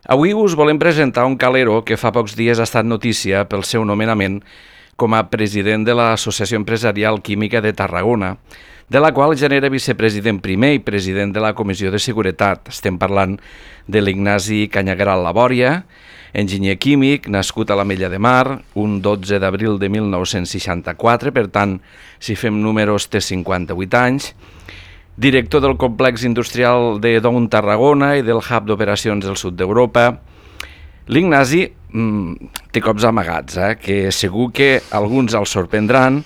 Avui us volem presentar un calero que fa pocs dies ha estat notícia pel seu nomenament com a president de l'Associació Empresarial Química de Tarragona, de la qual ja n'era vicepresident primer i president de la Comissió de Seguretat. Estem parlant de l'Ignasi Cañagueral Labòria, enginyer químic, nascut a l'Ametlla de Mar, un 12 d'abril de 1964, per tant, si fem números, té 58 anys, director del complex industrial de Down Tarragona i del Hub d'Operacions del Sud d'Europa. L'Ignasi té cops amagats, que segur que alguns els sorprendran.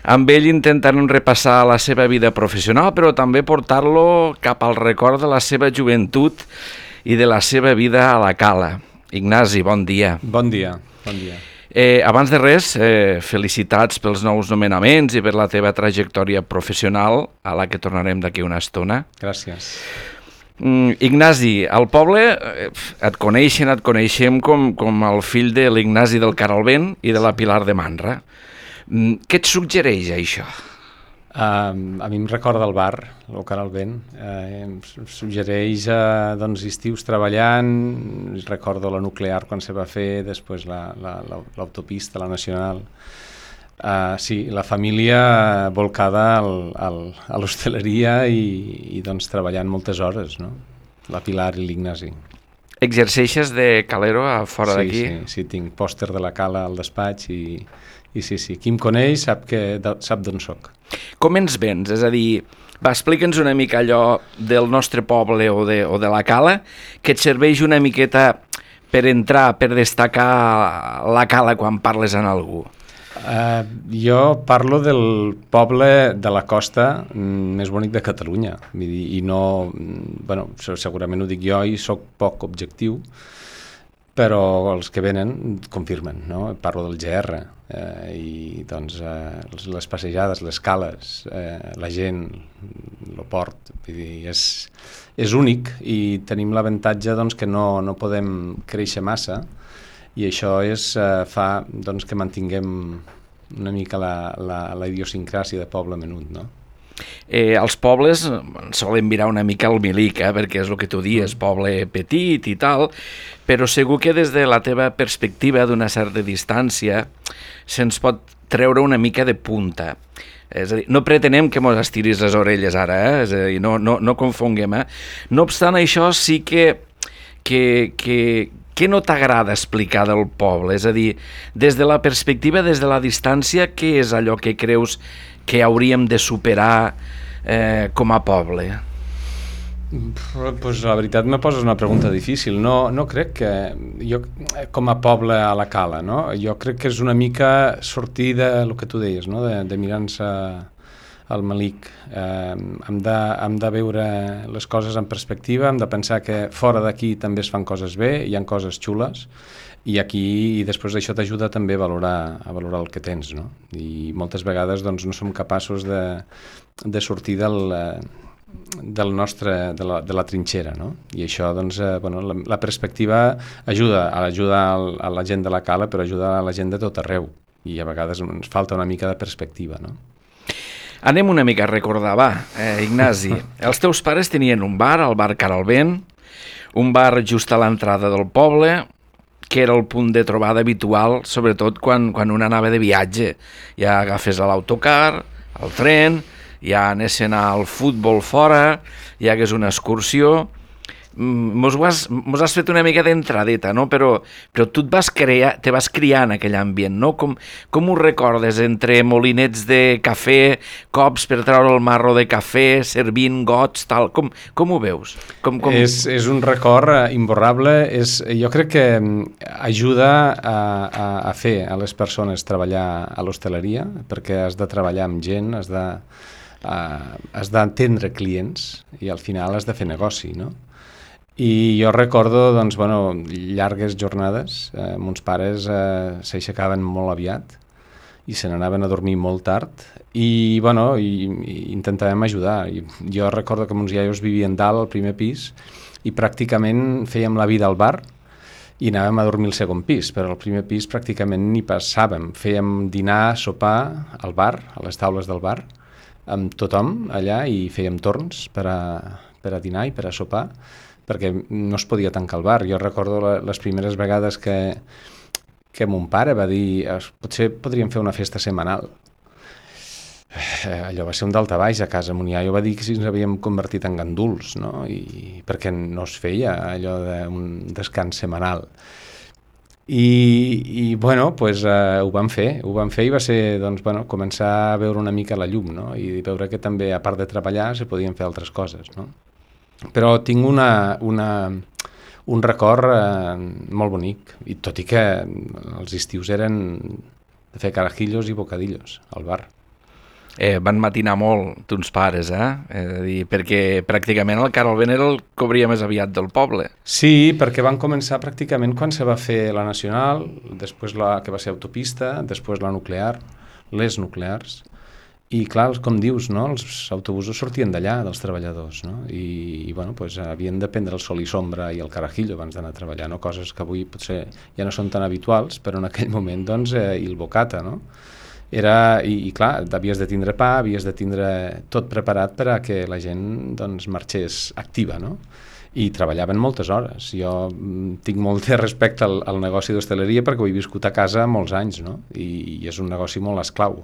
Amb ell intentarem repassar la seva vida professional, però també portar-lo cap al record de la seva joventut i de la seva vida a la cala. Ignasi, bon dia. Bon dia, bon dia. Abans de res, felicitats pels nous nomenaments i per la teva trajectòria professional, a la que tornarem d'aquí una estona. Gràcies. Ignasi, al poble et coneixem com el fill de l'Ignasi del Caralvent i de la Pilar de Manra. Què et suggereix això? A mi em recorda el bar, el Caralvent. Em suggereix estius treballant, recordo la nuclear quan se va fer, després l'autopista, la nacional. Sí, la família volcada a l'hostaleria i treballant moltes hores, no? La Pilar i l'Ignasi. Exerceixes de calero a fora d'aquí? Sí, tinc pòster de la cala al despatx i sí. Qui em coneix sap d'on soc. Com ens vens? És a dir, explica'ns una mica allò del nostre poble o de la cala, que et serveix una miqueta per entrar, per destacar la cala quan parles amb algú. Jo parlo del poble de la costa més bonic de Catalunya, i no, segurament ho dic jo i soc poc objectiu, però els que venen confirmen, no? Parlo del GR i les passejades, les cales, la gent, el port, vull dir, és únic i tenim l'avantatge que no podem créixer massa i això fa que mantinguem una mica la idiosincràsia de poble menut, no? Els pobles solen mirar una mica al milic, perquè és el que tu dius, poble petit i tal, però segur que des de la teva perspectiva d'una certa distància se'ns pot treure una mica de punta. És a dir, no pretenem que mos estiris les orelles ara, és a dir, no confonguem. No obstant això, sí que no t'agrada explicar del poble? És a dir, des de la perspectiva, des de la distància, què és allò que creus que hauríem de superar com a poble? Pues la veritat me poses una pregunta difícil. No crec que jo, com a poble a la cala, no? Jo crec que és una mica sortir del que tu deies, no? De mirar-se al malic. Hem de veure les coses en perspectiva, hem de pensar que fora d'aquí també es fan coses bé, hi ha coses xules, i aquí, després d'això t'ajuda també a valorar el que tens, no? I moltes vegades no som capaços de sortir de la trinxera, no? I això, la perspectiva ajuda a la gent de la cala, però ajuda a la gent de tot arreu, i a vegades ens falta una mica de perspectiva, no? Anem una mica a recordar, Ignasi. Els teus pares tenien un bar, el bar Caralvent, un bar just a l'entrada del poble, que era el punt de trobada habitual, sobretot quan un anava de viatge. Ja agafes l'autocar, el tren, ja anessin al futbol fora, ja hagués una excursió. Mos has fet una mica d'entradeta, no? Però tu te vas criar en aquell ambient, no? Com ho recordes, entre molinets de cafè, cops per treure el marro de cafè, servint gots, tal? Com ho veus? És un record imborrable. Jo crec que ajuda a fer a les persones treballar a l'hostaleria, perquè has de treballar amb gent, has d'entendre clients i al final has de fer negoci, no? I jo recordo, llargues jornades. Mons pares s'aixecaven molt aviat i se n'anaven a dormir molt tard i intentàvem ajudar. Jo recordo que mons iaios vivien dalt, al primer pis, i pràcticament fèiem la vida al bar i anàvem a dormir al segon pis, però al primer pis pràcticament ni passàvem. Fèiem dinar, sopar al bar, a les taules del bar, amb tothom allà, i fèiem torns per a dinar i per a sopar. perquè no es podia tancar el bar. Jo recordo les primeres vegades que mon pare va dir potser podríem fer una festa setmanal. Allò va ser un daltabaix a casa. Mon iaio va dir que si ens havíem convertit en ganduls, no? Perquè no es feia allò d'un descans setmanal. I bueno, pues, ho vam fer i va ser doncs, bueno, començar a veure una mica la llum, no? I veure que també, a part de treballar, se podien fer altres coses, no? Però tinc un record molt bonic, i tot i que els estius eren de fer carajillos i bocadillos al bar. Van matinar molt, tons pares, perquè pràcticament el Carol era el que obria més aviat del poble. Sí, perquè van començar pràcticament quan se va fer la Nacional, després la que va ser autopista, després la nuclear, les nuclears, i clar, com dius, no? Els autobusos sortien d'allà, dels treballadors, no? I bueno, pues, havien de prendre el sol i sombra i el carajillo abans d'anar a treballar, no? Coses que avui potser ja no són tan habituals, però en aquell moment, doncs, i el bocata, no? I clar, havies de tindre pa, havies de tindre tot preparat per a que la gent doncs, marxés activa, no? I treballaven moltes hores. Jo tinc molt de respecte al negoci d'hostaleria perquè ho he viscut a casa molts anys, no? I és un negoci molt esclau.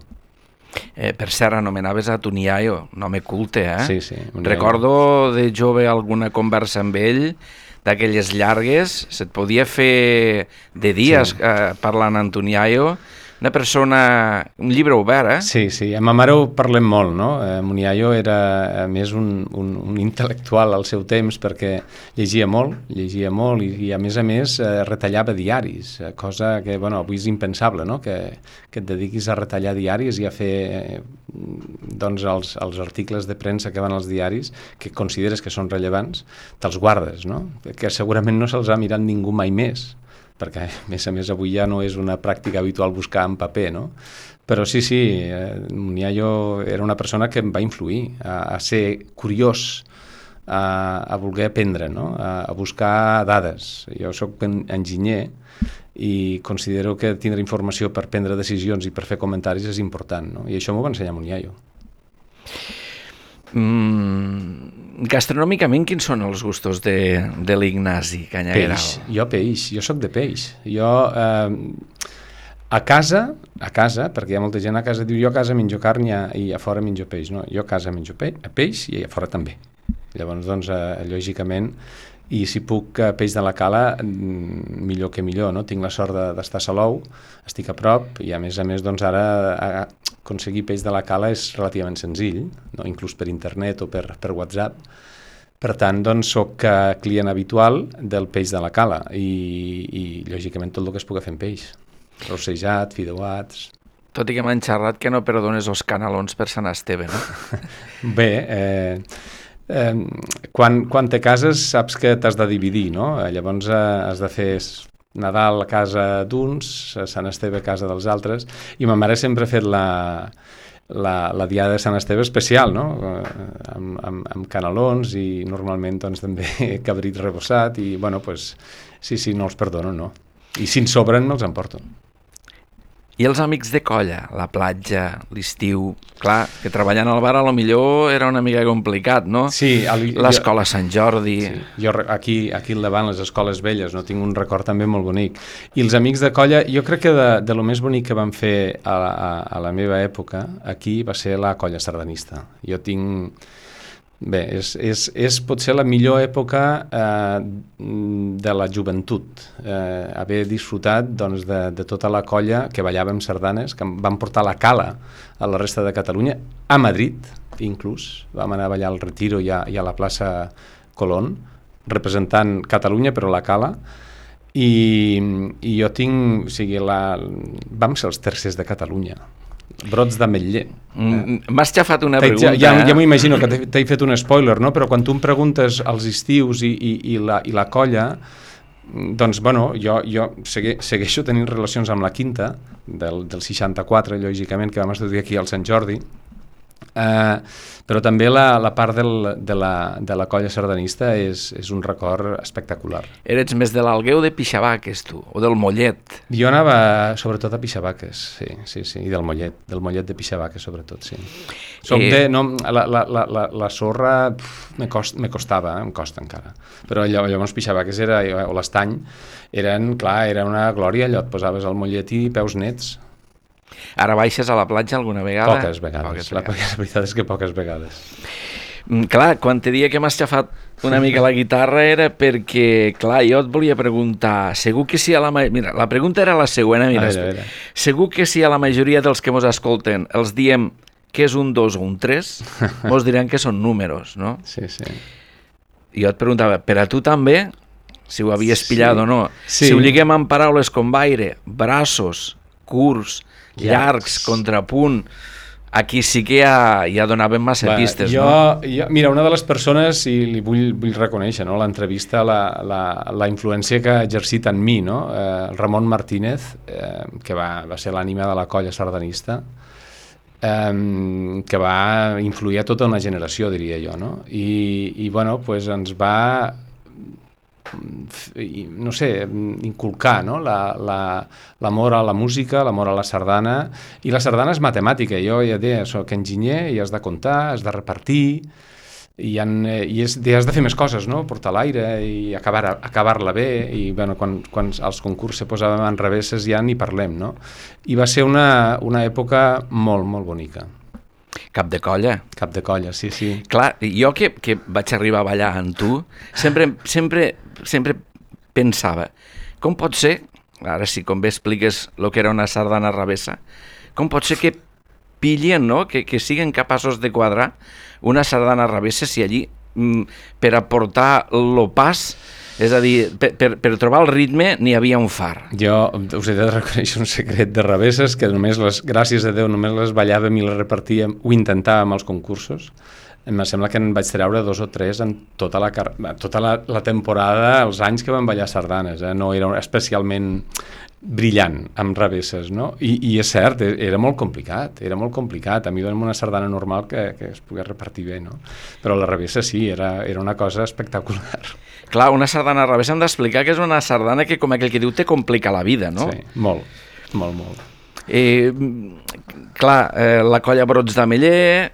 Per cert, anomenaves a ton iaio, un home culte, Sí, sí. Recordo de jove alguna conversa amb ell, d'aquelles llargues, se't podia fer de dies parlant amb ton iaio. Una persona, un llibre obert, Sí, sí, amb ma mare ho parlem molt, no? Mon iaio era més un intel·lectual al seu temps perquè llegia molt i a més retallava diaris, cosa que, bueno, avui és impensable, no? Que et dediquis a retallar diaris i a fer doncs, els articles de premsa que van als diaris, que consideres que són rellevants, te'ls guardes, no? Que segurament no se'ls ha mirat ningú mai més, perquè a més avui ja no és una pràctica habitual buscar en paper, no? Però sí, mon iaio era una persona que em va influir a ser curiós, a voler aprendre, no? A buscar dades. Jo soc enginyer i considero que tindre informació per prendre decisions i per fer comentaris és important, no? I això m'ho va ensenyar mon iaio. Gastronòmicament, quins són els gustos de l'Ignasi Canyagueral? Jo soc de peix. Jo a casa, perquè hi ha molta gent a casa diu jo a casa menjo carn i a fora menjo peix. No, jo a casa menjo peix i a fora també. Llavors, doncs, lògicament, i si puc peix de la Cala, millor que millor, no? Tinc la sort d'estar a Salou, estic a prop, i a més, doncs ara aconseguir peix de la Cala és relativament senzill, no? Inclús per internet o per WhatsApp. Per tant, doncs, soc client habitual del peix de la Cala i lògicament tot el que es pugui fer amb peix. Rossejat, fideuats... Tot i que m'han xerrat que no perdones els canalons per Sant Esteve, no? Bé, quan te cases saps que t'has de dividir, no? Llavors has de fer Nadal a casa d'uns, Sant Esteve a casa dels altres, i ma mare sempre ha fet la diada de Sant Esteve especial, no? Amb canelons i normalment doncs, també cabrit rebossat i, bueno, pues, sí, no els perdono, no? I si en sobren me'ls emporto. I els amics de colla, la platja, l'estiu... Clar, que treballant al bar a lo millor era una mica complicat, no? Sí. L'escola Sant Jordi... Sí. Jo aquí al davant, les escoles velles, no tinc un record també molt bonic. I els amics de colla, jo crec que de lo més bonic que vam fer a la meva època, aquí va ser la colla sardanista. Jo tinc... Bé, és potser la millor època de la joventut, haver disfrutat doncs, de tota la colla que ballàvem sardanes, que van portar la Cala a la resta de Catalunya, a Madrid inclús, vam anar a ballar al Retiro i a la plaça Colón, representant Catalunya però la Cala, i jo tinc, o sigui, vam ser els tercers de Catalunya, brots d'ametller. M'has xafat una pregunta. Ja m'ho imagino que t'he fet un spoiler, no? Però quan tu em preguntes als estius i la colla, doncs, bueno, jo segueixo tenint relacions amb la Quinta, del 64, lògicament, que vam estudiar aquí al Sant Jordi, Però també la part de la colla sardanista és un record espectacular. Eres més de l'Alguer o de Pixabaques, tu? O del Mollet? Jo anava sobretot a Pixabaques, sí, i del Mollet de Pixabaques sobretot, sí. La sorra me costa encara, però llavors Pixabaques o l'Estany era una glòria, allò et posaves al Mollet i peus nets. Ara baixes a la platja alguna vegada? Poques vegades. La veritat és que poques vegades. Clar, quan te dia que m'has xafat una mica la guitarra era perquè, clar, jo et volia preguntar, segur que si Mira, la pregunta era la següent, mira. Segur que si a la majoria dels que mos escolten els diem que és un 2 o un 3, mos diran que són números, no? Sí. Jo et preguntava, per a tu també, si ho havies pillat o no, sí. Si ho lliguem amb paraules com baire, braços, curts, llargs, contrapunt, aquí sí que ja donaven massa pistes, no? Mira, una de les persones, i li vull reconèixer, no? L'entrevista, la influència que ha exercit en mi, no? El Ramon Martínez, que va ser l'ànima de la colla sardanista, que va influir a tota una generació, diria jo, no? I bueno, pues ens va no sé, inculcar, no? L'amor a la música, l'amor a la sardana, i la sardana és matemàtica. Jo ja deia, soc enginyer i has de comptar, has de repartir, i has de fer més coses, no? Portar l'aire i acabar-la bé, i bueno, quan els concursos se posaven en revesses ja ni parlem, no? I va ser una època molt, molt bonica. Cap de colla. Cap de colla, sí. Clar, jo que vaig arribar a ballar amb tu, sempre pensava, com pot ser, ara sí, com bé expliques el que era una sardana revessa, com pot ser que pillen, no?, que siguin capaços de quadrar una sardana revessa si allí, per aportar lo pas, és a dir, per trobar el ritme n'hi havia un far. Jo us he de reconèixer un secret de revesses que només gràcies a Déu, només les ballàvem i les repartíem, ho intentàvem als concursos. Em sembla que en vaig treure 2 o 3 en tota la temporada, els anys que vam ballar sardanes, no era especialment brillant amb revesses, no? I és cert, era molt complicat, a mi dona'm una sardana normal que es pogués repartir bé, no? Però la revessa sí, era una cosa espectacular. Clar, una sardana revessa hem d'explicar que és una sardana que, com aquell que diu, te complica la vida, no? Sí, molt. La colla Brots d'Ameller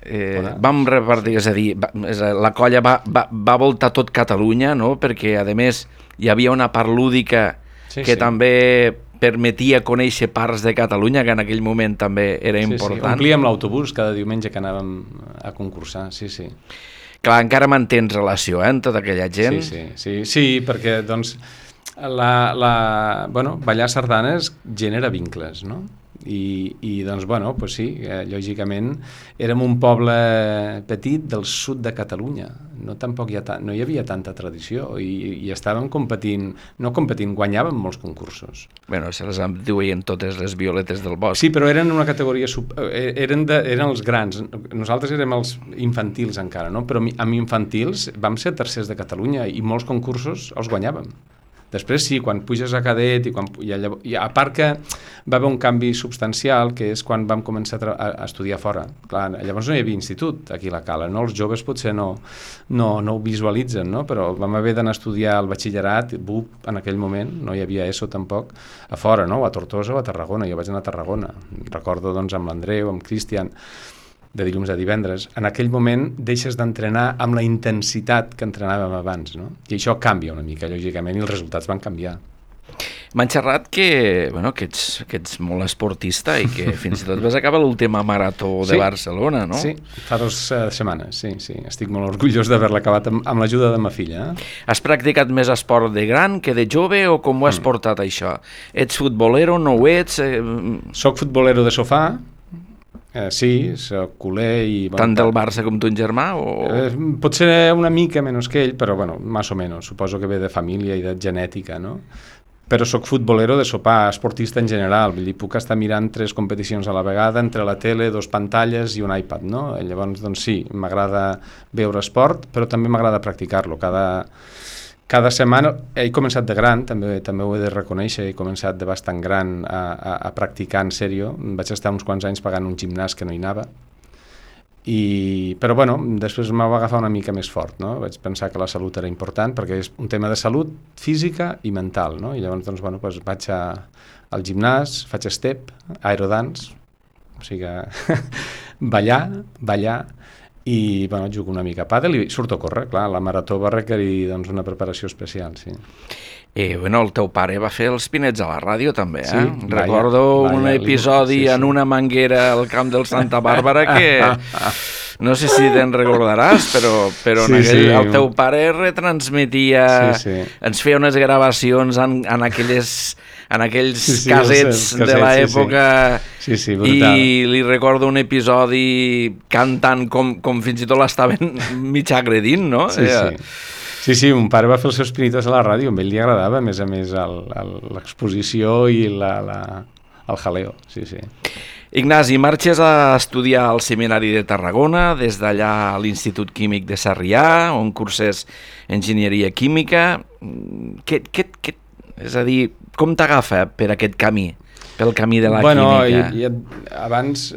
vam repartir, és a dir, la colla va voltar tot Catalunya, no? Perquè a més hi havia una part lúdica que també permetia conèixer parts de Catalunya, que en aquell moment també era important. Sí, omplíem l'autobús cada diumenge que anàvem a concursar, sí. Clar, encara mantens relació amb tota aquella gent? Sí, perquè doncs ballar sardanes genera vincles, no? I doncs, bueno, pues sí, lògicament érem un poble petit del sud de Catalunya, tampoc no hi havia tanta tradició i estàvem competint, guanyàvem molts concursos. Bueno, se les duien totes les violetes del bosc. Sí, però eren una categoria, eren els grans, nosaltres érem els infantils encara, no? Però amb infantils vam ser tercers de Catalunya i molts concursos els guanyàvem. Després sí, quan puges a cadet i a part que va haver un canvi substancial, que és quan vam començar a estudiar fora. Clar, llavors no hi havia institut aquí a la Cala, no? Els joves potser no ho visualitzen, no? Però vam haver d'anar a estudiar el batxillerat, BUP en aquell moment, no hi havia ESO tampoc, a fora, no? A Tortosa o a Tarragona, jo vaig anar a Tarragona. Recordo doncs amb l'Andreu, amb Cristian, de dilluns a divendres. En aquell moment deixes d'entrenar amb la intensitat que entrenàvem abans, no? I això canvia una mica, lògicament, i els resultats van canviar. M'han xerrat que ets molt esportista i que fins i tot vas acabar l'última marató de Barcelona, no? Sí, fa 2 setmanes, sí. Estic molt orgullós d'haver-la acabat amb l'ajuda de ma filla. Has practicat més esport de gran que de jove o com ho has portat, això? Ets futbolero, no ho ets? Soc futbolero de sofà. Sí, soc culer i... Tant del Barça com ton germà? Potser una mica menys que ell, però bueno, més o menys. Suposo que ve de família i de genètica, no? Però soc futbolero de sopar, esportista en general. Vull dir, puc estar mirant 3 competicions a la vegada, entre la tele, 2 pantalles i un iPad, no? Llavors, doncs sí, m'agrada veure esport, però també m'agrada practicar-lo. Cada setmana he començat de gran, també ho he de reconèixer, he començat de bastant gran a practicar en sèrio. Vaig estar uns quants anys pagant un gimnàs que no hi anava Però bueno, després m'ho va agafar una mica més fort, no? Vaig pensar que la salut era important perquè és un tema de salut física i mental, no? I llavors doncs, bueno, doncs vaig al gimnàs, faig step, aerodance, o sigui ballar i bueno, jugo una mica a pàdel i surto a córrer, clar, la marató va requerir doncs, una preparació especial, sí. Bueno, el teu pare va fer els pinets a la ràdio també, eh? Sí, Recordo un episodi en una manguera al camp del Santa Bàrbara que no sé si te'n recordaràs, però el teu pare retransmetia, ens feia unes gravacions en aquells casets de l'època i li recordo un episodi cantant com fins i tot l'estaven mig agredint, no? Sí, mon pare va fer els seus pinitos a la ràdio, a ell li agradava, a més l'exposició i el jaleo, sí. Ignasi, marxes a estudiar al Seminari de Tarragona, des d'allà a l'Institut Químic de Sarrià, on curses enginyeria química. És a dir, com t'agafa per aquest camí? Pel camí de la química. Abans,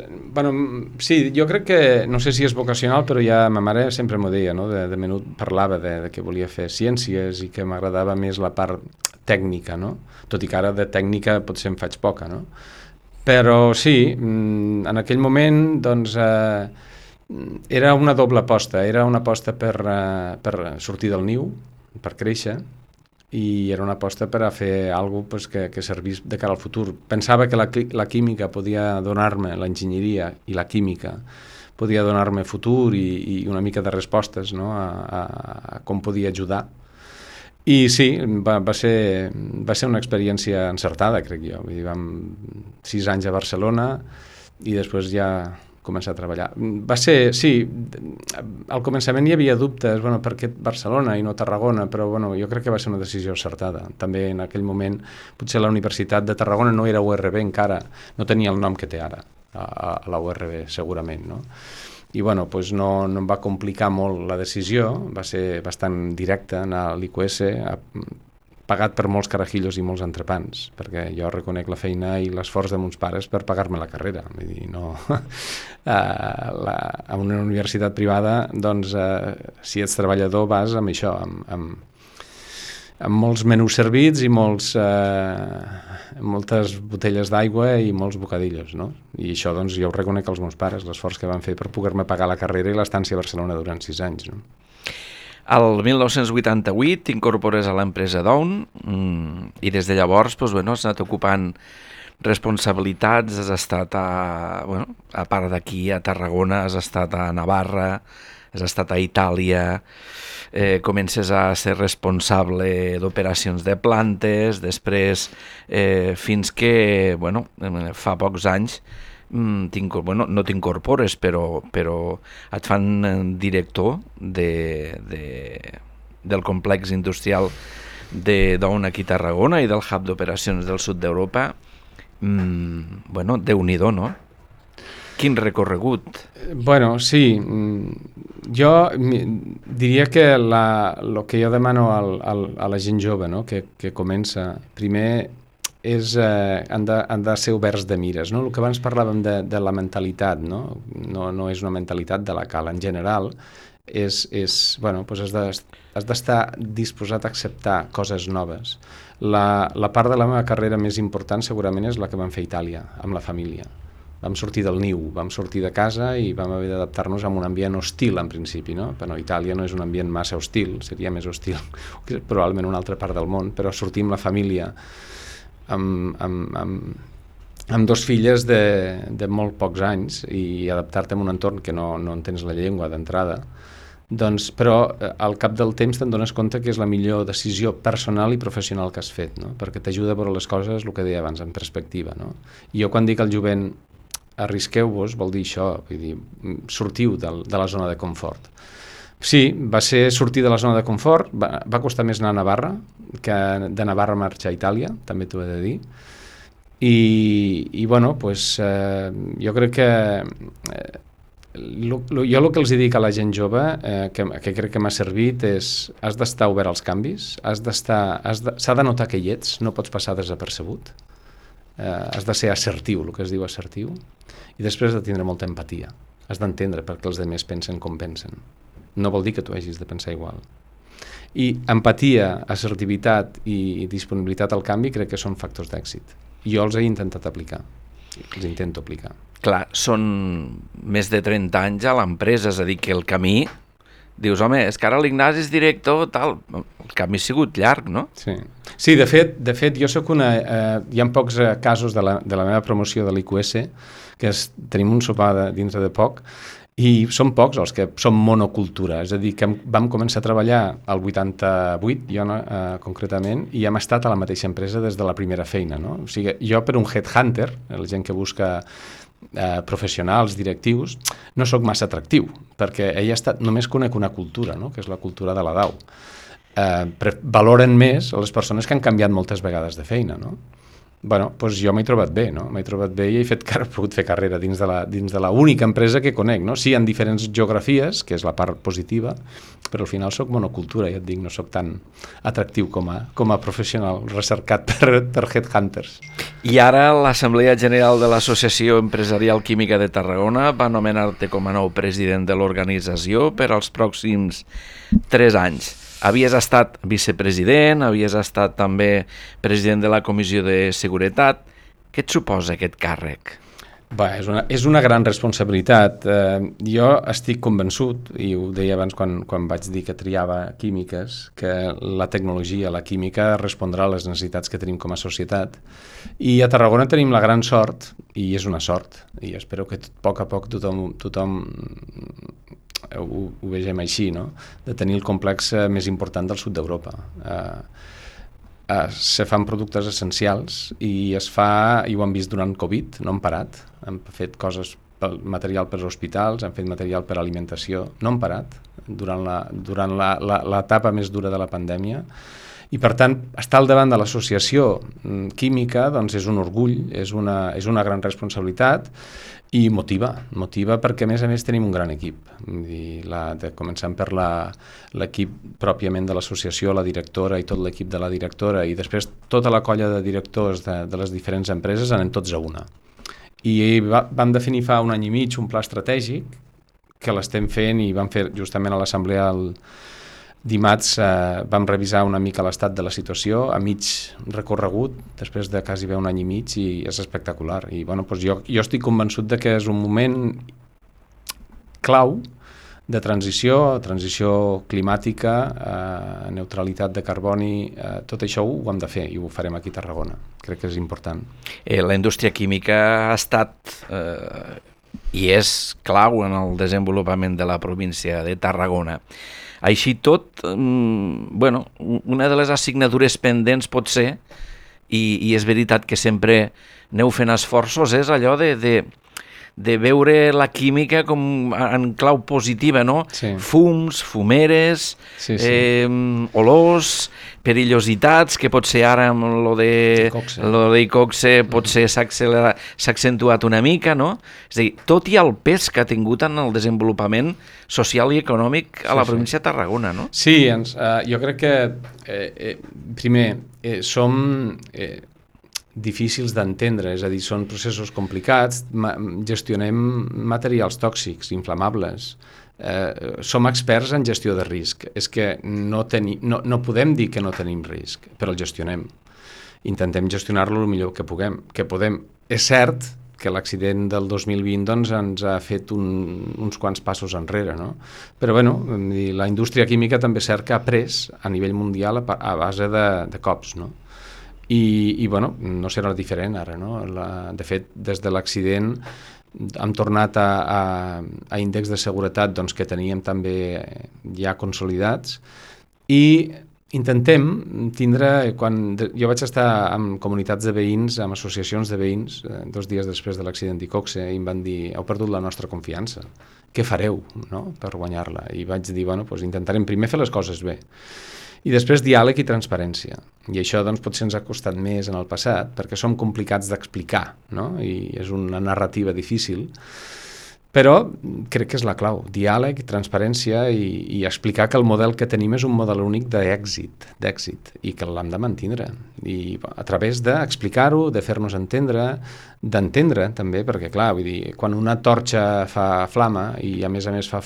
sí, jo crec que, no sé si és vocacional, però ja ma mare sempre m'ho deia, no? De menut parlava de que volia fer ciències i que m'agradava més la part tècnica, no? Tot i que ara de tècnica potser en faig poca, no? Però sí, en aquell moment, doncs, era una doble aposta. Era una aposta per sortir del niu, per créixer, i era una aposta per a fer alguna cosa que servís de cara al futur. Pensava que la química podia donar-me, l'enginyeria i la química podia donar-me futur i una mica de respostes, no? a com podia ajudar. I sí, va ser una experiència encertada, crec jo. Vull dir, vam 6 anys a Barcelona i després ja començar a treballar. Va ser, sí, al començament hi havia dubtes, per què Barcelona i no Tarragona, però jo crec que va ser una decisió acertada. També en aquell moment, potser la Universitat de Tarragona no era URB encara, no tenia el nom que té ara, a la URB, segurament, no? I doncs no em va complicar molt la decisió, va ser bastant directa anar a l'IQS, pagat per molts carajillos i molts entrepans, perquè jo reconec la feina i l'esforç de mons pares per pagar-me la carrera. Vull dir, no... a una universitat privada, doncs, si ets treballador vas amb això, amb molts menús servits i moltes botelles d'aigua i molts bocadillos, no? I això, doncs, jo ho reconec als meus pares, l'esforç que van fer per poder-me pagar la carrera i l'estància a Barcelona durant 6 anys, no? El 1988 t'incorpores a l'empresa Dawn i des de llavors has anat ocupant responsabilitats, has estat a part d'aquí, a Tarragona, has estat a Navarra, has estat a Itàlia, comences a ser responsable d'operacions de plantes, després fins que, fa pocs anys, no t'incorpores, però et fan director del complex industrial de Dawn aquí a Tarragona i del hub d'operacions del sud d'Europa. Déu-n'hi-do, no? Quin recorregut? Sí, jo diria que el que jo demano a la gent jove, no? que comença, primer han de ser oberts de mires, no? El que abans parlàvem de la mentalitat, no? No és una mentalitat de la cal, en general has d'estar disposat a acceptar coses noves. La part de la meva carrera més important segurament és la que vam fer a Itàlia, amb la família. Vam sortir del niu, vam sortir de casa i vam haver d'adaptar-nos a un ambient hostil en principi, no? Però Itàlia no és un ambient massa hostil, seria més hostil que probablement una altra part del món, però sortir amb la família amb 2 filles de molt pocs anys i adaptar-te a un entorn que no entens la llengua d'entrada, doncs, però al cap del temps te'n dones compte que és la millor decisió personal i professional que has fet, no? Perquè t'ajuda a veure les coses, el que deia abans, en perspectiva, no? I jo quan dic al jovent arrisqueu-vos, vol dir això, vull dir, sortiu de la zona de confort. Sí, va ser sortir de la zona de confort, va costar més anar a Navarra que de Navarra marxar a Itàlia, també t'ho he de dir, i jo crec que jo el que els dic a la gent jove, que crec que m'ha servit, és has d'estar obert als canvis, s'ha de notar que hi ets, no pots passar desapercebut, has de ser assertiu, el que es diu assertiu, i després de tindre molta empatia Has d'entendre perquè els altres pensen com pensen. No vol dir que tu hagis de pensar igual. I empatia, assertivitat i disponibilitat al canvi crec que són factors d'èxit. Jo els he intentat aplicar. Els intento aplicar. Clar, són més de 30 anys a l'empresa, és a dir, que el camí... Dius, home, és que ara l'Ignasi és director, tal... El camí ha sigut llarg, no? Sí, de fet jo sóc una... hi ha pocs casos de la meva promoció de l'IQS, que tenim un sopar dintre de poc, i són pocs els que som monocultura, és a dir, que vam començar a treballar al 88, jo concretament, i hem estat a la mateixa empresa des de la primera feina, no? O sigui, jo per un headhunter, la gent que busca professionals, directius, no sóc massa atractiu, perquè només conec una cultura, no? Que és la cultura de la DAO. Valoren més les persones que han canviat moltes vegades de feina, no? Bueno, doncs jo m'he trobat bé, no? M'he trobat bé i he pogut fer carrera dins de la única empresa que conec, no? Sí, en diferents geografies, que és la part positiva, però al final soc monocultura, ja et dic, no soc tan atractiu com a professional recercat per headhunters. I ara l'Assemblea General de l'Associació Empresarial Química de Tarragona va nomenar-te com a nou president de l'organització per als pròxims 3 anys. Havies estat vicepresident, havies estat també president de la Comissió de Seguretat. Què et suposa aquest càrrec? És una gran responsabilitat. Jo estic convençut, i ho deia abans quan vaig dir que triava químiques, que la tecnologia, la química, respondrà a les necessitats que tenim com a societat. I a Tarragona tenim la gran sort, i és una sort, i espero que a poc tothom ho vegem així, no? De tenir el complex més important del sud d'Europa. Se fan productes essencials i ho han vist durant Covid, no han parat. Han fet coses, material per als hospitals, han fet material per a alimentació, no han parat durant l'etapa més dura de la pandèmia. I, per tant, estar al davant de l'associació química doncs és un orgull, és una gran responsabilitat i motiva perquè, a més, tenim un gran equip. Començant per l'equip pròpiament de l'associació, la directora i tot l'equip de la directora, i després tota la colla de directors de les diferents empreses anem tots a una. I vam definir fa un any i mig un pla estratègic que l'estem fent i vam fer justament a l'assemblea dimarts. Vam revisar una mica l'estat de la situació a mig recorregut, després de quasi un any i mig, i és espectacular. I doncs jo estic convençut de que és un moment clau de transició climàtica, neutralitat de carboni, tot això ho hem de fer i ho farem aquí a Tarragona. Crec que és important. La indústria química ha estat i és clau en el desenvolupament de la província de Tarragona. Així tot, una de les assignatures pendents pot ser, i és veritat que sempre aneu fent esforços, és allò de veure la química com en clau positiva, no? Sí. Fums, fumeres, sí. Olors, perillositats, que potser ara amb lo d'Icoxe potser s'ha accentuat una mica, no? És a dir, tot i el pes que ha tingut en el desenvolupament social i econòmic a la província de Tarragona, no? Sí, jo crec que, primer, som difícils d'entendre, és a dir, són processos complicats, gestionem materials tòxics, inflamables, som experts en gestió de risc. És que no podem dir que no tenim risc, però el gestionem. Intentem gestionar-lo el millor que podem. És cert que l'accident del 2020 doncs, ens ha fet uns quants passos enrere, no? Però la indústria química també és cert que ha pres a nivell mundial a base de cops, no? I no serà diferent ara, no? De fet, des de l'accident hem tornat a índexs de seguretat doncs, que teníem també ja consolidats, i intentem tindre... Jo vaig estar en comunitats de veïns, amb associacions de veïns, 2 dies després de l'accident d'Icoxe, i em van dir: heu perdut la nostra confiança, què fareu, no?, per guanyar-la? I vaig dir, intentarem primer fer les coses bé, i després diàleg i transparència. I això doncs, potser ens ha costat més en el passat, perquè som complicats d'explicar, no? I és una narrativa difícil, Però crec que és la clau, diàleg, transparència i explicar que el model que tenim és un model únic d'èxit i que l'hem de mantenir. I a través d'explicar-ho, de fer-nos entendre, d'entendre també, perquè clar, vull dir, quan una torxa fa flama i a més fa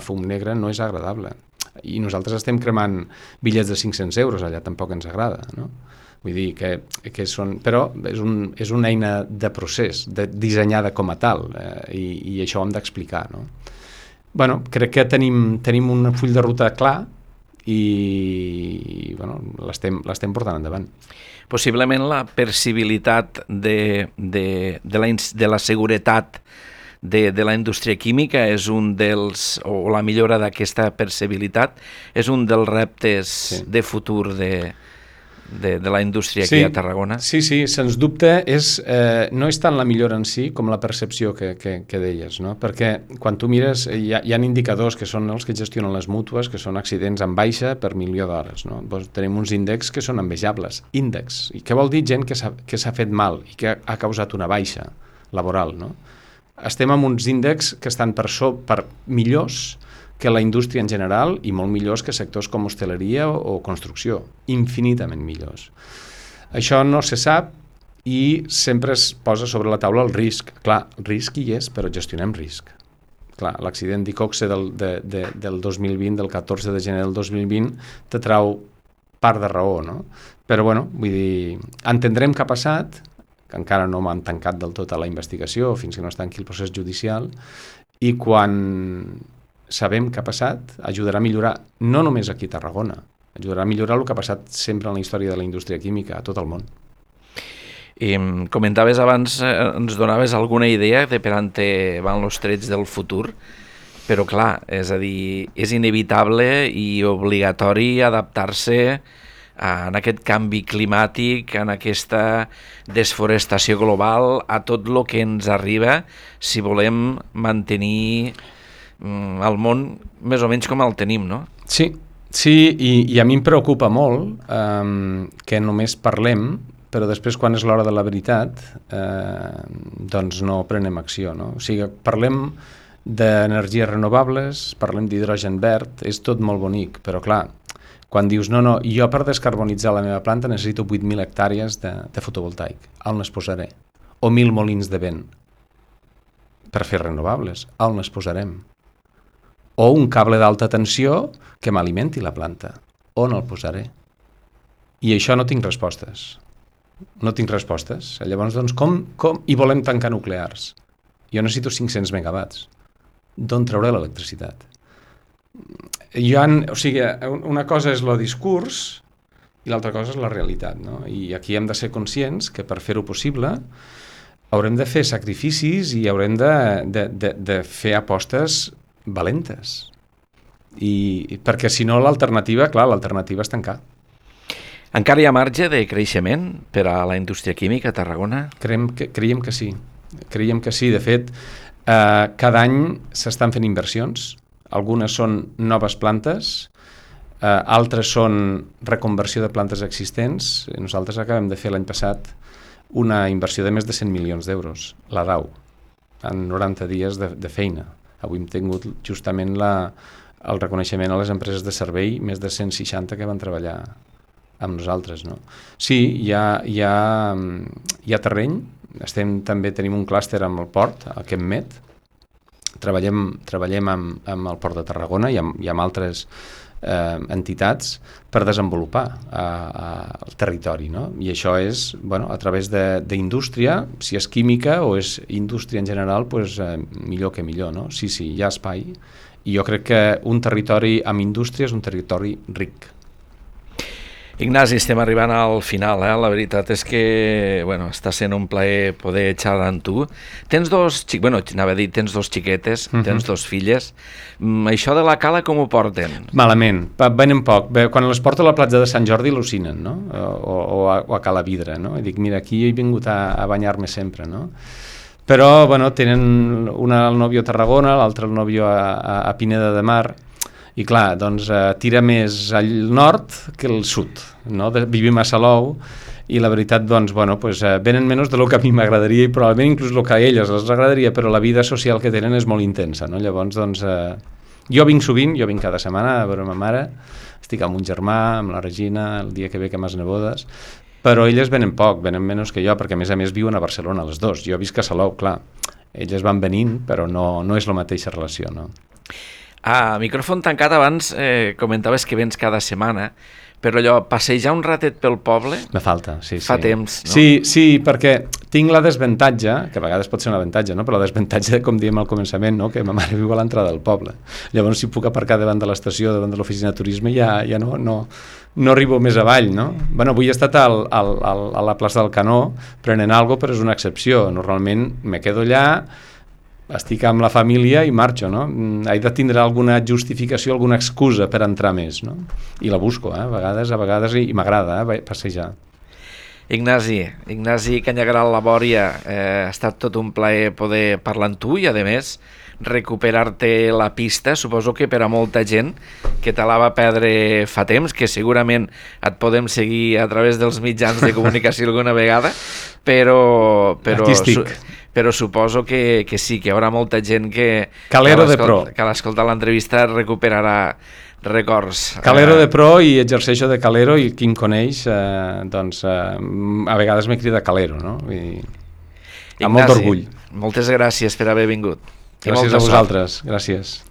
fum negre no és agradable. I nosaltres estem cremant bitllets de 500 euros, allà tampoc ens agrada, no? Vull dir que són... Però és una eina de procés, dissenyada com a tal, i això ho hem d'explicar, no? Bueno, crec que tenim un full de ruta clar i bueno, l'estem portant endavant. Possiblement la percibilitat de la seguretat de la indústria química és un dels, o la millora d'aquesta percebilitat és un dels reptes de futur de la indústria aquí a Tarragona. Sí, sens dubte no és tant la millora en si com la percepció que deies, no? Perquè quan tu mires hi ha indicadors que són els que gestionen les mútues, que són accidents en baixa per milió d'hores, no? Doncs tenim uns índexs que són envejables, índexs. I què vol dir? Gent que s'ha fet mal i que ha causat una baixa laboral, no? Estem amb uns índexs que estan per millors que la indústria en general i molt millors que sectors com hostaleria o construcció, infinitament millors. Això no se sap i sempre es posa sobre la taula el risc. Clar, el risc hi és, però gestionem risc. Clar, l'accident d'Iqoxe del 2020, del 14 de gener del 2020, te trau part de raó, no? Però, bueno, vull dir, entendrem què ha passat, que encara no m'han tancat del tot a la investigació fins que no es tanqui el procés judicial, i quan sabem què ha passat, ajudarà a millorar, no només aquí a Tarragona, ajudarà a millorar el que ha passat sempre en la història de la indústria química a tot el món. I comentaves abans, ens donaves alguna idea de per on van els trets del futur, però clar, és a dir, és inevitable i obligatori adaptar-se en aquest canvi climàtic, en aquesta desforestació global, a tot el que ens arriba si volem mantenir el món més o menys com el tenim, no? Sí, i a mi em preocupa molt que només parlem, però després quan és l'hora de la veritat doncs no prenem acció, no? O sigui, parlem d'energies renovables, parlem d'hidrogen verd, és tot molt bonic, però clar, quan dius no, jo per descarbonitzar la meva planta necessito 8.000 hectàrees de fotovoltaic, on les posaré? O 1.000 molins de vent per fer renovables, on les posarem? O un cable d'alta tensió que m'alimenti la planta, on el posaré? I això no tinc respostes. Llavors, doncs, com? I volem tancar nuclears. Jo necessito 500 megawatts. D'on trauré l'electricitat? O sigui, una cosa és el discurs i l'altra cosa és la realitat, no? I aquí hem de ser conscients que per fer-ho possible haurem de fer sacrificis i haurem de fer apostes valentes. I perquè si no l'alternativa és tancar. Encara hi ha marge de creixement per a la indústria química a Tarragona? Creiem que sí. De fet, cada any s'estan fent inversions. Algunes són noves plantes, altres són reconversió de plantes existents. Nosaltres acabem de fer l'any passat una inversió de més de 100 milions d'euros, la DAU, en 90 dies de feina. Avui hem tingut justament el reconeixement a les empreses de servei, més de 160 que van treballar amb nosaltres, no? Sí, hi ha terreny. També tenim un clúster amb el port, el ChemMed. Treballem amb el Port de Tarragona i amb altres entitats per desenvolupar el territori, no? I això és, a través d'indústria, si és química o és indústria en general, millor que millor, no? Sí, hi ha espai. I jo crec que un territori amb indústria és un territori ric. Ignasi, estem arribant al final, La veritat és que, està sent un plaer poder xerrar amb tu. Tens dos xiquetes, tens dos filles. Això de la cala com ho porten? Malament, venen poc. Quan les porto a la platja de Sant Jordi al·lucinen, no? O a Cala Vidre, no? I dic, mira, aquí he vingut a banyar-me sempre, no? Però, tenen una al nòvio a Tarragona, l'altra al nòvio a Pineda de Mar. I clar, doncs tira més al nord que al sud, no? Vivim a Salou i la veritat, doncs, bueno, pues, venen menys del que a mi m'agradaria i probablement inclús el que a elles els agradaria, però la vida social que tenen és molt intensa, no? Llavors, doncs, jo vinc sovint, jo vinc cada setmana a veure ma mare, estic amb un germà, amb la Regina, el dia que ve que m'has nebodes, però elles venen poc, venen menys que jo, perquè a més viuen a Barcelona les dos. Jo visc a Salou, clar. Elles van venint, però no és la mateixa relació, no? A micròfon tancat abans comentaves que vens cada setmana, però allò, passejar un ratet pel poble... Me falta, sí. Fa temps, no? Sí, perquè tinc la desavantatge, que a vegades pot ser un avantatge, no? Però la desavantatge, com diem al començament, no? Que ma mare viu a l'entrada del poble. Llavors, si puc aparcar davant de l'estació, davant de l'oficina de turisme, ja no arribo més avall, no? Bueno, avui he estat a la plaça del Canó prenent alguna cosa, però és una excepció. Normalment me quedo allà, estic amb la família i marxo, no? He de tindre alguna justificació, alguna excusa per entrar més, no? I la busco, a vegades, i m'agrada passejar. Ignasi Canyagaral Labòria, ha estat tot un plaer poder parlar amb tu i, a més, recuperar-te la pista. Suposo que per a molta gent que te la va perdre fa temps, que segurament et podem seguir a través dels mitjans de comunicació alguna vegada, però suposo que sí, que hi haurà molta gent que l'escolta l'entrevista recuperarà records. Calero de pro, i exerceixo de calero, i qui em coneix, doncs, a vegades me crida calero, no? Amb molt d'orgull. Moltes gràcies per haver vingut. Gràcies a vosaltres, gràcies.